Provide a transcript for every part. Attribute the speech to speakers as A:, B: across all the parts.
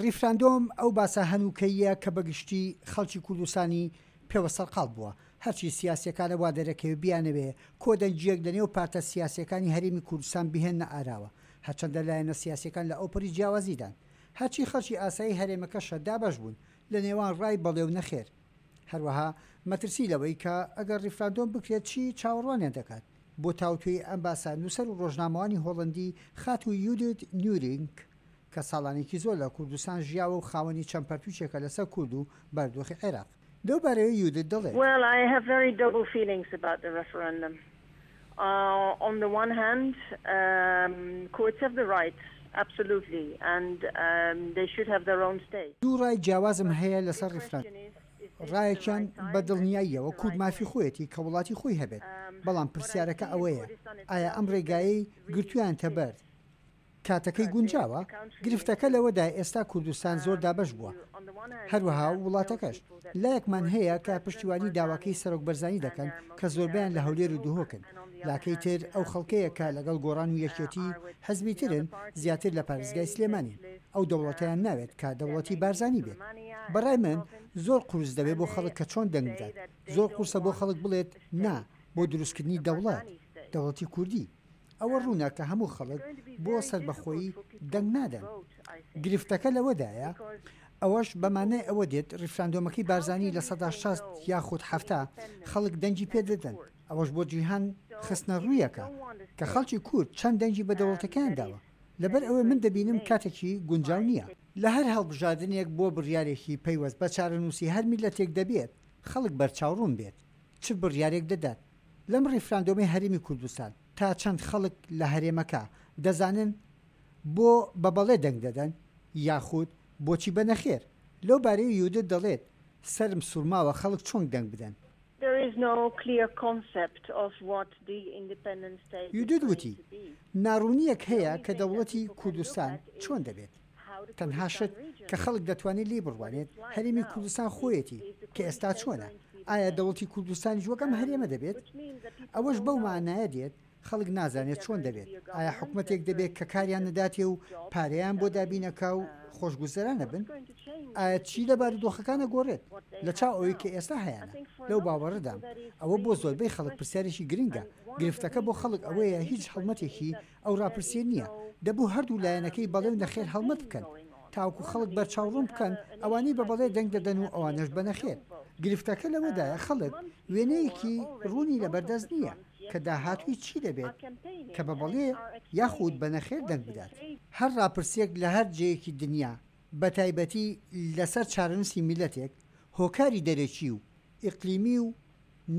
A: ڕیفراندۆم ئەو باسە هەنووکەییە کە بە گشتی خەڵکی کوردستانی پێوە سەرقاڵ بووە. هەرچی سیاسیەکانە وا دەرەکەوێ بیانەوێ کۆدەنگییەک لە نێو پارتە سیاسیەکانی هەرێمی کوردستان بهێننە ئاراوە. هەرچەندە لایەنە سیاسیەکان لە ئەوپەڕی جیاوازیدان. هەرچی خەڵکی ئاسایی هەرێمەکەشە دابەش بوون لە نێوان ڕای بەڵێ و نەخێر. هەروەها مەترسی لەوەی کە ئەگەر ڕیفراندۆم بکرێت چی چاوەڕوانیان دەکات؟ بۆ تاوتوێی ئەم باسە نووسەر و ڕۆژنامەوانی هۆڵەندی خاتوو یودیت نیورینک کە ساڵانێکی زۆر لە کوردستان ژیاوە و خاوەنی چەند پەرتووکێکە لەسەر کورد و بارودۆخی عێراق. لەو بارەیەوە یودت دەڵێت.
B: Well, I have very double feelings about the referendum. On the one hand, Kurds have the right, absolutely, and they should have their own state.
A: دوو ڕای جیاوازم هەیە لەسەر ڕیفراندۆم. ڕایەکیان بە دڵنیاییەوە کورد مافی خۆیەتی کە وڵاتی خۆی هەبێت، بەڵام پرسیارەکە ئەوەیە ئایا ئەم ڕێگایەی گرتوویانتە بەر کاتەکەی گونجاوە؟ گرفتەکە لەوەدایە ئێستا کوردستان زۆر دابەش بووە، هەروەها وڵاتەکەش. لایەکمان هەیە کە پشتیوانی داواکەی سەرۆک بەرزانی دەکەن کە زۆربەیان لە هەولێر و دهۆکن، لاکەی تر ئەو خەڵکەیە کە لەگەڵ گۆڕان و یەکێتی حزبی ترن زیاتر لە پارێزگای سلێمانین، ئەو دەوڵەتەیان ناوێت کە دەوڵەتی بارزانی بێت. بەڕای من زۆر قورس دەبێت بۆ خەڵک کە چۆن دەنگ بدات، زۆر قورسە بۆ خەڵک بڵێت نا بۆ دروستکردنی دەوڵەت، دەوڵەتی کوردی. ئەوە ڕوونە کە هەموو خەڵک بۆ سەربەخۆیی دەنگ نادەن. گرفتەکە لەوەدایە ئەوەش بە مانای ئەوە دێت ڕیفراندۆمەکەی بارزانی 60% یاخود 70 خەڵک دەنگی پێ دەدەن، ئەوەش بۆ جیهان خستنە ڕوویەکە کە خەڵکی کورد چەند دەنگی بە دەوڵەتەکەیان داوە. لەبەر ئەوەی من دەبینم کاتێکی گونجاو نییە. لە هەر هەڵبژاردنێک بۆ بڕیارێکی پەیوەست بە چارەنووسی هەر میللەتێک دەبێت خەڵک بەرچاوڕوون بێت چ بڕیارێک دەدات. لەم ڕیفراندۆمەی هەرێمی کوردستان تا چەند خەڵک لە هەرێمەکە دەزانن بۆ بە بەڵێ دەنگ دەدەن یاخود بۆچی بە نەخێر؟ لەو بارەیەوە یودت دەڵێت، سەرم سوڕماوە خەڵک چۆن دەنگ بدەن. یودت وتی، ناڕوونییەک هەیە کە دەوڵەتی کوردستان چۆن دەبێت. تەنها شت کە خەڵک دەتوانێت لێی بڕوانێت هەرێمی کوردستان خۆیەتی کە ئێستا چۆنە، ئایا دەوڵەتی کوردستانیش وەک ئەم هەرێمە دەبێت؟ ئەوەش بەو مانایە دێت خەڵک نازانێت چۆن دەبێت، ئایا حکومەتێک دەبێت کە کاریان نەداتێ و پارەیان بۆ دابینەکا و خۆشگوزەرانەبن؟ ئایا چی لە بارودۆخەکان ئەگۆڕێت لە چاو ئەوەی کە ئێستا هەیانە؟ لەو باوەڕەدام ئەوە بۆ زۆربەی خەڵک پرسیارێکی گرنگە، گرفتەکە بۆ خەڵک ئەوەیە هیچ هەڵمەتێکی ئەو ڕاپرسیە نیە، دەبوو هەردوو لایەنەکەی بەڵێ و نەخێر هەڵمەت بکەن تاوەکو خەڵک بەرچاوڕوون بکەن ئەوانەی بە بەڵێ دەنگ دەدەن و ئەوانەش بە نەخێر. گرفتەکە لەوەدایە خەڵک وێنەیەکی ڕوونی لەبەردەست نیە کە داهاتووی چی دەبێت کە بە بەڵێ یاخود بە نەخێر دەنگ بدات. هەر ڕاپرسیەک لە هەر جێیەکی دنیا بەتایبەتی لەسەر چارەنووسی میللەتێک هۆکاری دەرەکی و ئیقلیمی و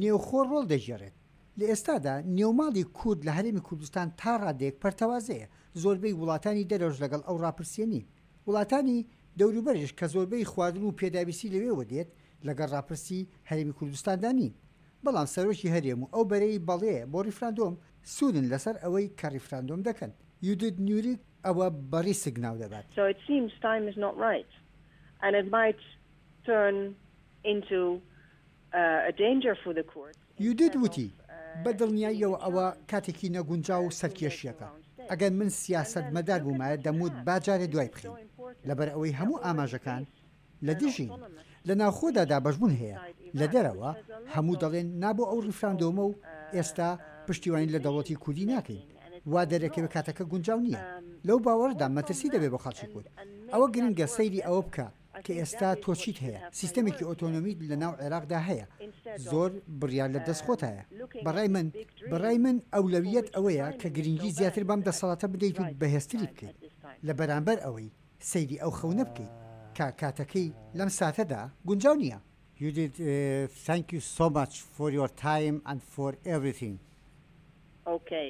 A: نێوخۆ ڕۆڵ دەگێڕێت. لە ئێستادا نێوماڵی کورد لە هەرێمی کوردستان تا ڕادەیەک پەرتەوازەیە، زۆربەی وڵاتانی دەرەوەش لەگەڵ ئەو ڕاپرسییە نین. وڵاتانی دەوروبەریش کە زۆربەی خواردن و پێداویستی لەوێوە دێت لەگەڵ ڕاپرسی هەرێمی کوردستاندا نین. بەڵام سەرۆکی هەرێم و ئەو بەرەی بەڵێ بۆ ڕیفراندۆم سوورن لەسەر ئەوەی کە ڕیفراندۆم دەکەن. یودیت نیوریک ئەوە بە ڕیسک ناودەبات.
B: So it seems time is not right and it might turn into
A: یودیت وتی، بە دڵنیاییەوە ئەوە کاتێکی نەگونجاو و سەرکێشییەکە. ئەگەر من سیاسەتمەدار بوومایە دەموت با جارێ دوای بخەین. لەبەر ئەوەی هەموو ئاماژەکان لە دژین. لە ناوخۆدا دابەشبوون هەیە، لە دەرەوە هەموو دەڵێن نا بۆ ئەو ڕیفراندۆمە و ئێستا پشتیوانی لە دەوڵەتی کوردی ناکەین. وا دەرەکەوێ کاتەکە گونجاو نییە. لەو باوەڕەدام مەترسی دەبێ بۆ خەڵکی کورد. ئەوە گرنگە سەیری ئەوە بکە کە ئێستا تۆ چیت هەیە؟ سیستەمێکی ئۆتۆنۆمیت لە ناو عێراقدا هەیە، زۆر بڕیار لە دەست خۆتایە. بە ڕای من، بە ڕای من ئەولەویەت ئەوەیە کە گرنگی زیاتر بەم دەسەڵاتە بدەیت و بەهێزتری بکەیت، لە بەرامبەر ئەوەی سەیری ئەو خەونە بکەیت کە کاتەکەی لەم ساتەدا گونجاو نییە.
C: Judith, thank you so much for your time and for everything.
B: Okay.